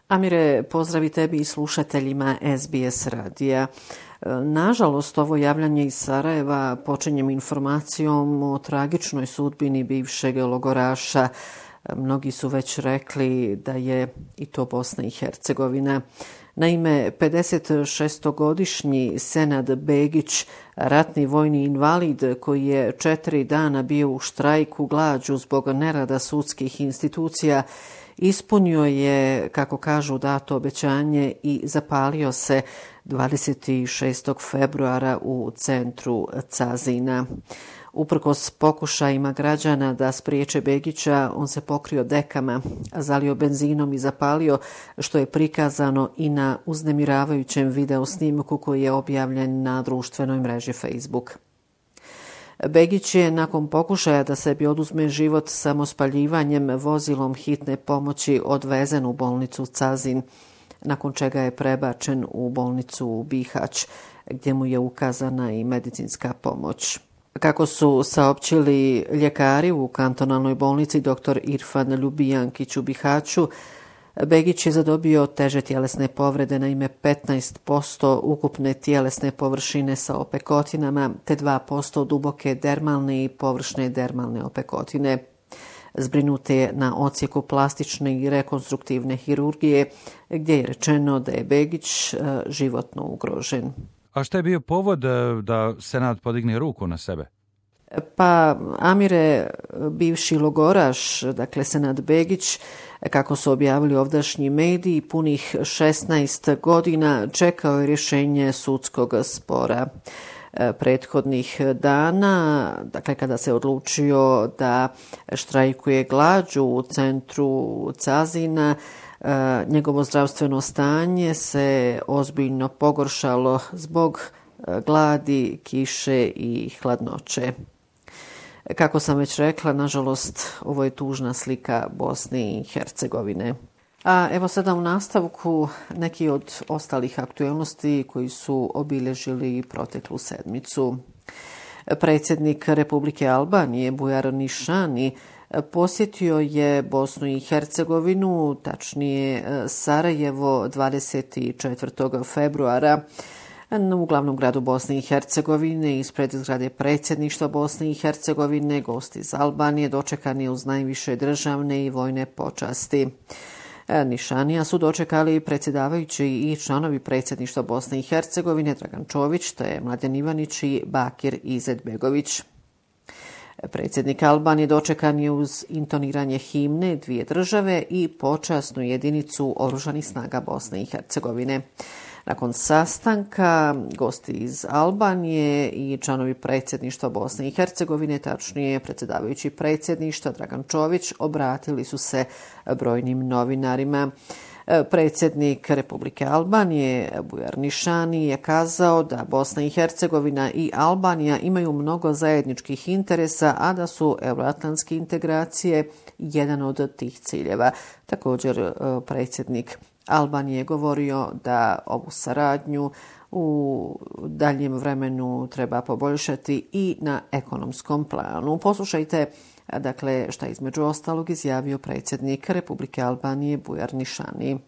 Amire, pozdravi tebi i slušateljima SBS radija. Nažalost, ovo javljanje iz Sarajeva počinjem informacijom o tragičnoj sudbini bivšeg logoraša. Mnogi su već rekli da je i to Bosna i Hercegovina. Naime, 56-godišnji Senad Begić, ratni vojni invalid koji je 4 dana bio u štrajku glađu zbog nerada sudskih institucija, ispunio je, kako kažu, dato obećanje i zapalio se 26. februara u centru Cazina. Uprkos pokušajima građana da spriječe Begića, on se pokrio dekama, zalio benzinom i zapalio, što je prikazano i na uznemiravajućem video snimku koji je objavljen na društvenoj mreži Facebook. Begić je nakon pokušaja da sebi oduzme život samospaljivanjem vozilom hitne pomoći odvezen u bolnicu Cazin, nakon čega je prebačen u bolnicu Bihać, gdje mu je ukazana i medicinska pomoć. Kako su saopćili ljekari u kantonalnoj bolnici dr. Irfan Ljubijankić u Bihaću, Begić je zadobio teže tjelesne povrede, naime 15% ukupne tjelesne površine sa opekotinama te 2% duboke dermalne i površne dermalne opekotine. Zbrinut je na odsjeku plastične i rekonstruktivne hirurgije, gdje je rečeno da je Begić životno ugrožen. A šta je bio povod da Senat podigne ruku na sebe? Pa, Amire, bivši logoraš, dakle Senad Begić, kako su objavili ovdašnji mediji, punih 16 godina čekao je rješenje sudskog spora. Prethodnih dana, dakle kada se odlučio da štrajkuje glađu u centru Cazina, njegovo zdravstveno stanje se ozbiljno pogoršalo zbog gladi, kiše i hladnoće. Kako sam već rekla, nažalost, ovo je tužna slika Bosne i Hercegovine. A evo sada u nastavku neki od ostalih aktualnosti koji su obilježili proteklu sedmicu. Predsjednik Republike Albanije Bujar Nišani posjetio je Bosnu i Hercegovinu, tačnije Sarajevo, 24. februara. U glavnom gradu Bosne i Hercegovine, ispred zgrade predsjedništva Bosne i Hercegovine, gosti iz Albanije dočekani uz najviše državne i vojne počasti. Nišanija su dočekali predsjedavajući i članovi predsjedništva Bosne i Hercegovine Dragan Čović, te Mladen Ivanić i Bakir Izetbegović. Predsjednik Albanije dočekan je uz intoniranje himne dvije države i počasnu jedinicu Oružanih snaga Bosne i Hercegovine. Nakon sastanka, gosti iz Albanije i članovi predsjedništva Bosne i Hercegovine, tačnije predsjedavajući predsjedništva Dragan Čović, obratili su se brojnim novinarima. Predsjednik Republike Albanije Bujar Nišani je kazao da Bosna i Hercegovina i Albanija imaju mnogo zajedničkih interesa, a da su euroatlantske integracije jedan od tih ciljeva. Također predsjednik Albanije je govorio da ovu saradnju u daljem vremenu treba poboljšati i na ekonomskom planu. Poslušajte, dakle, šta između ostalog izjavio predsjednik Republike Albanije Bujar Nišani.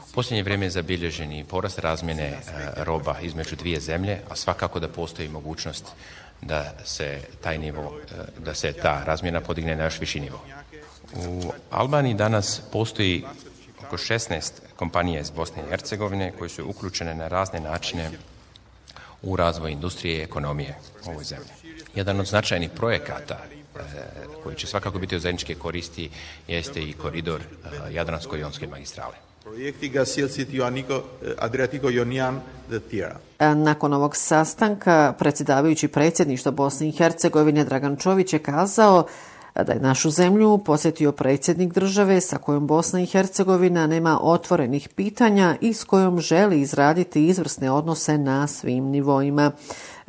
U posljednje vrijeme je zabilježen i porast razmjene roba između dvije zemlje, a svakako da postoji mogućnost da se ta razmjena podigne na još viši nivo. U Albaniji danas postoji oko 16 kompanija iz Bosne i Hercegovine koje su uključene na razne načine u razvoj industrije i ekonomije u ovoj zemlji. Jedan od značajnih projekata koji će svakako biti od zajedničke koristi jeste i koridor Jadransko-jonske magistrale. Nakon ovog sastanka predsjedavajući predsjedništva Bosne i Hercegovine Dragan Čović je kazao da je našu zemlju posjetio predsjednik države sa kojom Bosna i Hercegovina nema otvorenih pitanja i s kojom želi izraditi izvrsne odnose na svim nivoima.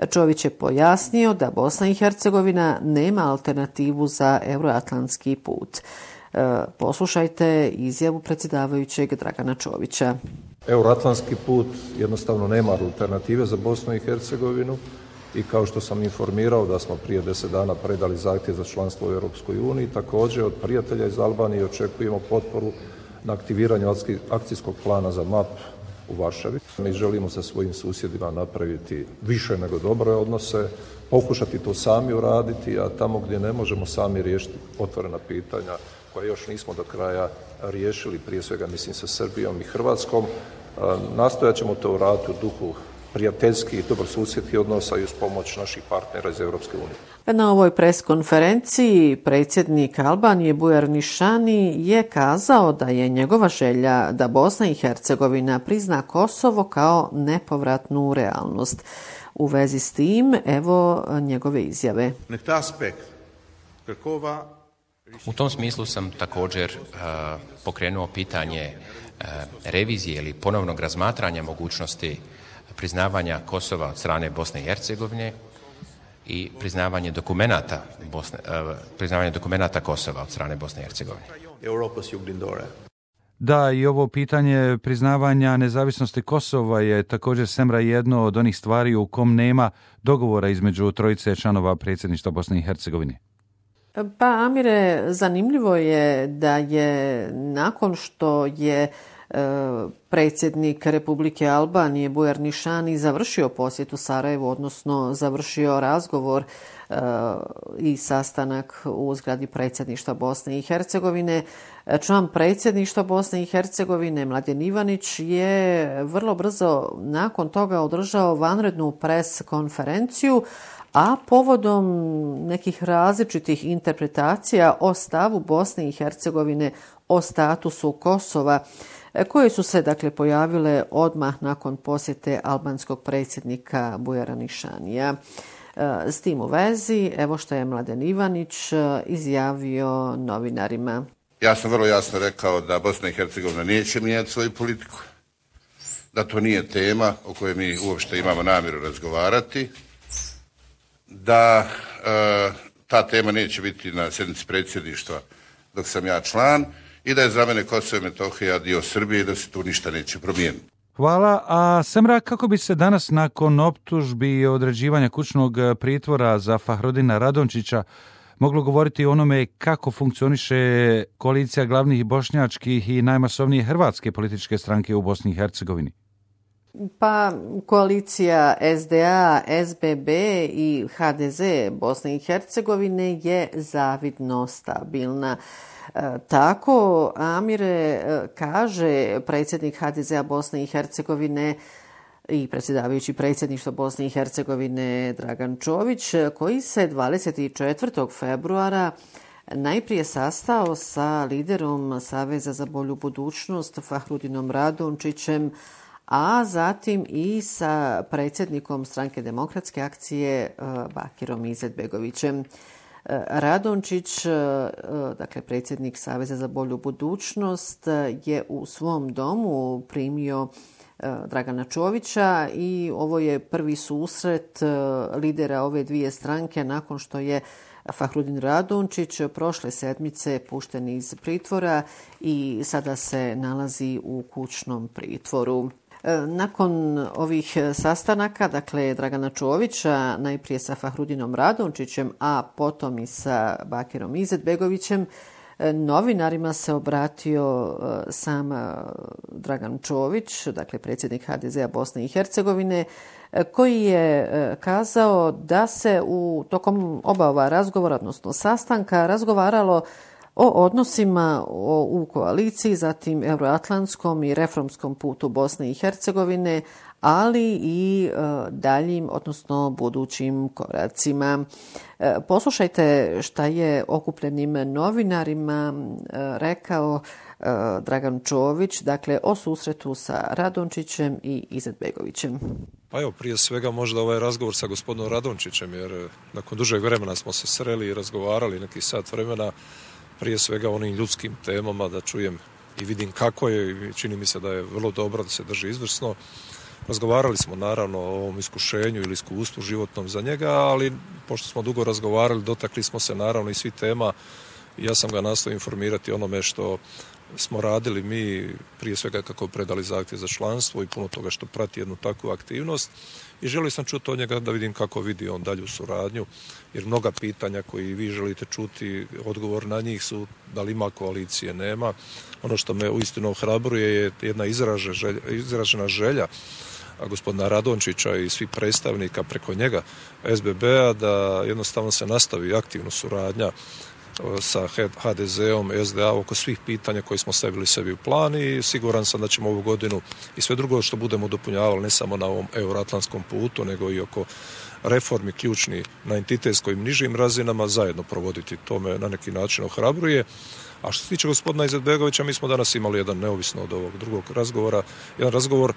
Čović je pojasnio da Bosna i Hercegovina nema alternativu za euroatlantski put. Poslušajte izjavu predsjedavajućeg Dragana Čovića. Euroatlantski put jednostavno nema alternative za Bosnu i Hercegovinu i kao što sam informirao da smo prije 10 dana predali zahtjev za članstvo u Europskoj uniji, također od prijatelja iz Albanije očekujemo potporu na aktiviranju akcijskog plana za MAP u Varšavi. Mi želimo sa svojim susjedima napraviti više nego dobre odnose, pokušati to sami uraditi, a tamo gdje ne možemo sami riješiti otvorena pitanja koja još nismo do kraja riješili, prije svega mislim sa Srbijom i Hrvatskom, nastojat ćemo to uraditi u duhu prijateljskih i dobrosusjedskih odnosa i uz pomoć naših partnera iz Europske unije. Na ovoj preskonferenciji predsjednik Albanije Bujar Nišani je kazao da je njegova želja da Bosna i Hercegovina prizna Kosovo kao nepovratnu realnost. U vezi s tim, evo njegove izjave. U tom smislu sam također pokrenuo pitanje revizije ili ponovnog razmatranja mogućnosti priznavanja Kosova od strane Bosne i Hercegovine i priznavanje dokumenata Kosova od strane Bosne i Hercegovine. Da, i ovo pitanje priznavanja nezavisnosti Kosova je također Semra jedno od onih stvari u kom nema dogovora između trojice članova predsjedništva Bosne i Hercegovine. Pa Amire, zanimljivo je da je nakon što je predsjednik Republike Albanije Bujar Nišani završio posjetu Sarajevu, odnosno završio razgovor i sastanak u zgradi predsjedništva Bosne i Hercegovine. Član predsjedništva Bosne i Hercegovine Mladen Ivanić je vrlo brzo nakon toga održao vanrednu pres konferenciju, a povodom nekih različitih interpretacija o stavu Bosne i Hercegovine o statusu Kosova, koje su se dakle pojavile odmah nakon posjete albanskog predsjednika Bujara Nišanija. S tim u vezi, evo što je Mladen Ivanić izjavio novinarima. Ja sam vrlo jasno rekao da Bosna i Hercegovina neće mijenjati svoju politiku, da to nije tema o kojoj mi uopšte imamo namjeru razgovarati, da ta tema neće biti na sjednici predsjedništva dok sam ja član i da je za mene Kosovo i Metohija dio Srbije i da se tu ništa neće promijeniti. Hvala. A Semra, kako bi se danas nakon optužbi i određivanja kućnog pritvora za Fahrudina Radončića moglo govoriti o onome kako funkcioniše koalicija glavnih bošnjačkih i najmasovnije hrvatske političke stranke u Bosni i Hercegovini? Pa koalicija SDA, SBB i HDZ Bosne i Hercegovine je zavidno stabilna. Tako, Amire, kaže predsjednik HDZ-a Bosne i Hercegovine i predsjedavajući predsjedništva Bosne i Hercegovine Dragan Čović, koji se 24. februara najprije sastao sa liderom Saveza za bolju budućnost Fahrudinom Radončićem, a zatim i sa predsjednikom Stranke demokratske akcije Bakirom Izetbegovićem. Radončić, dakle predsjednik Saveza za bolju budućnost, je u svom domu primio Dragana Čovića i ovo je prvi susret lidera ove dvije stranke nakon što je Fahrudin Radončić prošle sedmice pušten iz pritvora i sada se nalazi u kućnom pritvoru. Nakon ovih sastanaka, dakle Dragana Čovića, najprije sa Fahrudinom Radončićem, a potom i sa Bakirom Izetbegovićem, novinarima se obratio sam Dragan Čović, dakle predsjednik HDZ-a Bosne i Hercegovine, koji je kazao da se tokom oba ova razgovora, odnosno sastanka, razgovaralo o odnosima u koaliciji, zatim euroatlantskom i reformskom putu Bosne i Hercegovine, ali i daljim, odnosno budućim koracima. Poslušajte šta je okupljenim novinarima rekao Dragan Čović, dakle o susretu sa Radončićem i Izetbegovićem. Pa evo, prije svega možda ovaj razgovor sa gospodinom Radončićem, jer nakon dužeg vremena smo se sreli i razgovarali neki sat vremena, prije svega onim ljudskim temama, da čujem i vidim kako je, i čini mi se da je vrlo dobro, da se drži izvrsno. Razgovarali smo naravno o ovom iskušenju ili iskustvu životnom za njega, ali pošto smo dugo razgovarali, dotakli smo se naravno i svi tema Ja sam ga nastao informirati onome što smo radili mi, prije svega kako predali zahtjev za članstvo i puno toga što prati jednu takvu aktivnost. I želio sam čuti od njega da vidim kako vidi on dalju suradnju, jer mnoga pitanja koji vi želite čuti, odgovor na njih su da li ima koalicije, nema. Ono što me uistinu ohrabruje je jedna izražena želja gospodina Radončića i svih predstavnika preko njega SBB-a da jednostavno se nastavi aktivno suradnja sa HDZ-om, SDA oko svih pitanja koje smo stavili sebi u plan i siguran sam da ćemo ovu godinu i sve drugo što budemo dopunjavali ne samo na ovom euroatlantskom putu nego i oko reformi ključni na entitetskim nižim razinama zajedno provoditi. To me na neki način ohrabruje. A što se tiče gospodina Izetbegovića, mi smo danas imali jedan, neovisno od ovog drugog razgovora, jedan razgovor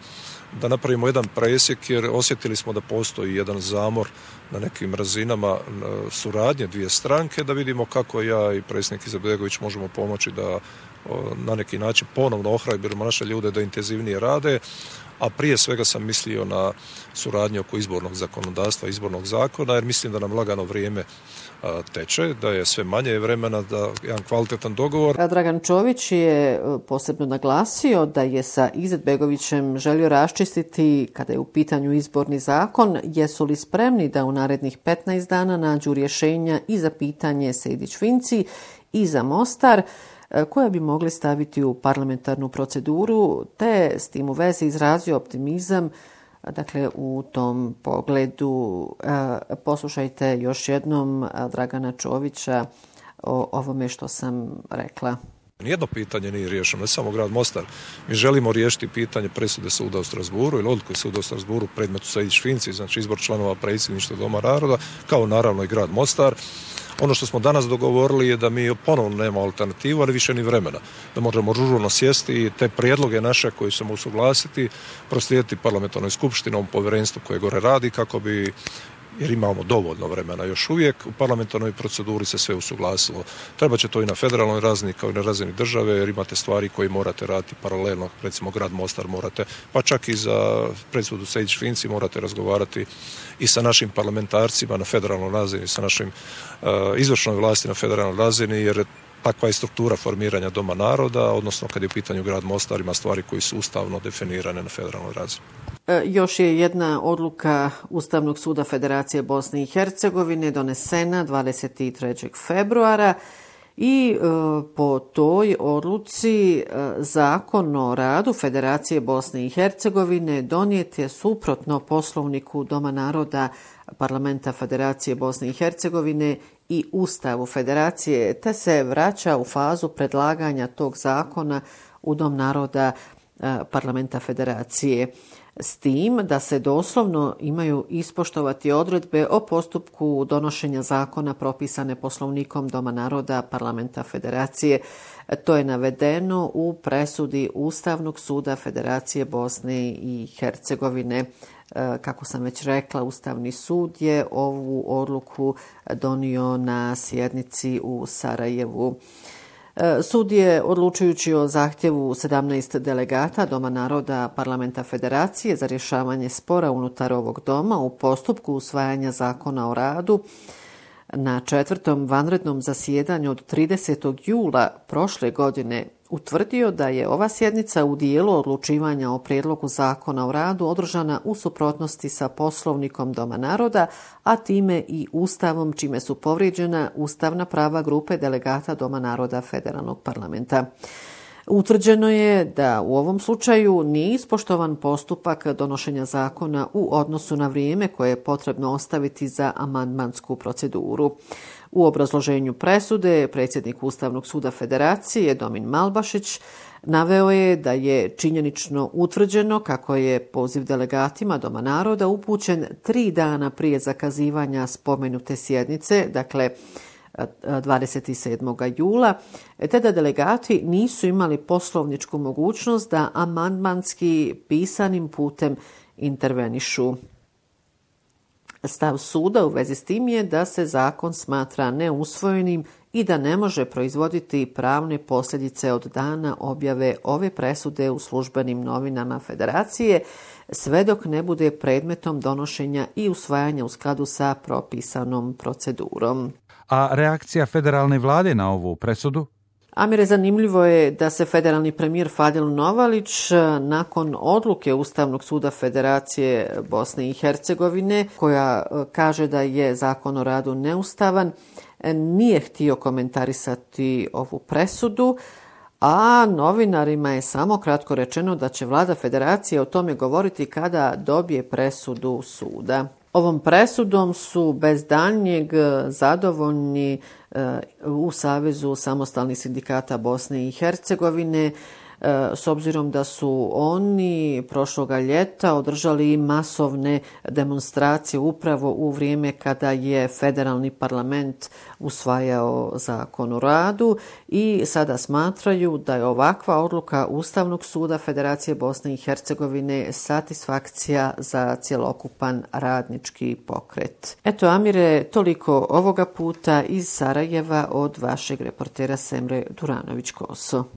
da napravimo jedan presjek jer osjetili smo da postoji jedan zamor na nekim razinama suradnje dvije stranke, da vidimo kako ja i predsjednik Izetbegović možemo pomoći da na neki način ponovno ohrabrimo naše ljude da intenzivnije rade, a prije svega sam mislio na suradnju oko izbornog zakonodavstva, izbornog zakona, jer mislim da nam lagano vrijeme teče, da je sve manje vremena da jedan kvalitetan dogovor. Dragan Čović je posebno naglasio da je sa Izetbegovićem želio raščistiti kada je u pitanju izborni zakon, jesu li spremni da u narednih 15 dana nađu rješenja i za pitanje Sejdić-Finci i za Mostar, koja bi mogli staviti u parlamentarnu proceduru, te s tim u vezi izrazio optimizam. Dakle, u tom pogledu poslušajte još jednom Dragana Čovića o ovome što sam rekla. Nijedno pitanje nije riješeno, ne samo grad Mostar. Mi želimo riješiti pitanje presude suda u Strasburu ili odluke suda u Strasburu predmetu Sejdić-Finci, znači izbor članova predsjedništva Doma naroda, kao naravno i grad Mostar. Ono što smo danas dogovorili je da mi ponovno nemamo alternativu, ali više ni vremena. Da možemo žurno sjesti i te prijedloge naše koje ćemo usuglasiti, proslijediti parlamentarnoj skupštini, ovom povjerenstvu koje gore radi, kako bi, jer imamo dovoljno vremena još uvijek, u parlamentarnoj proceduri se sve usuglasilo. Treba će to i na federalnoj razini kao i na razini države, jer imate stvari koje morate raditi paralelno, recimo grad Mostar morate, pa čak i za presudu Sejdić-Finci morate razgovarati i sa našim parlamentarcima na federalnoj razini, sa našim izvršnoj vlasti na federalnoj razini, jer takva je struktura formiranja Doma naroda, odnosno kad je u pitanju grad Mostar ima stvari koje su ustavno definirane na federalnoj razini. Još je jedna odluka Ustavnog suda Federacije Bosne i Hercegovine donesena 23. februara i po toj odluci Zakon o radu Federacije Bosne i Hercegovine donijet je suprotno Poslovniku Doma naroda Parlamenta Federacije Bosne i Hercegovine i Ustavu Federacije, te se vraća u fazu predlaganja tog zakona u Dom naroda Parlamenta Federacije. S tim da se doslovno imaju ispoštovati odredbe o postupku donošenja zakona propisane Poslovnikom Doma naroda Parlamenta Federacije. To je navedeno u presudi Ustavnog suda Federacije Bosne i Hercegovine. Kako sam već rekla, Ustavni sud je ovu odluku donio na sjednici u Sarajevu. Sud je, odlučujući o zahtjevu 17 delegata Doma naroda Parlamenta Federacije za rješavanje spora unutar ovog doma u postupku usvajanja zakona o radu, na 4. vanrednom zasjedanju od 30. jula prošle godine utvrdio da je ova sjednica u dijelu odlučivanja o prijedlogu zakona o radu održana u suprotnosti sa Poslovnikom Doma naroda, a time i Ustavom, čime su povrijeđena ustavna prava grupe delegata Doma naroda Federalnog parlamenta. Utvrđeno je da u ovom slučaju nije ispoštovan postupak donošenja zakona u odnosu na vrijeme koje je potrebno ostaviti za amandmansku proceduru. U obrazloženju presude predsjednik Ustavnog suda Federacije Domin Malbašić naveo je da je činjenično utvrđeno kako je poziv delegatima Doma naroda upućen 3 dana prije zakazivanja spomenute sjednice, dakle 27. jula, te da delegati nisu imali poslovničku mogućnost da amandmanski pisanim putem intervenišu. Stav suda u vezi s tim je da se zakon smatra neusvojenim i da ne može proizvoditi pravne posljedice od dana objave ove presude u službenim novinama Federacije, sve dok ne bude predmetom donošenja i usvajanja u skladu sa propisanom procedurom. A reakcija federalne vlade na ovu presudu? Amire, zanimljivo je da se federalni premijer Fadil Novalić nakon odluke Ustavnog suda Federacije Bosne i Hercegovine, koja kaže da je Zakon o radu neustavan, nije htio komentarisati ovu presudu, a novinarima je samo kratko rečeno da će vlada federacije o tome govoriti kada dobije presudu suda. Ovom presudom su bez daljnjeg zadovoljni u Savezu samostalnih sindikata Bosne i Hercegovine, s obzirom da su oni prošloga ljeta održali masovne demonstracije upravo u vrijeme kada je federalni parlament usvajao Zakon o radu i sada smatraju da je ovakva odluka Ustavnog suda Federacije Bosne i Hercegovine satisfakcija za cjelokupan radnički pokret. Eto, Amire, toliko ovoga puta iz Sarajeva od vašeg reportera Semre Duranović-Koso.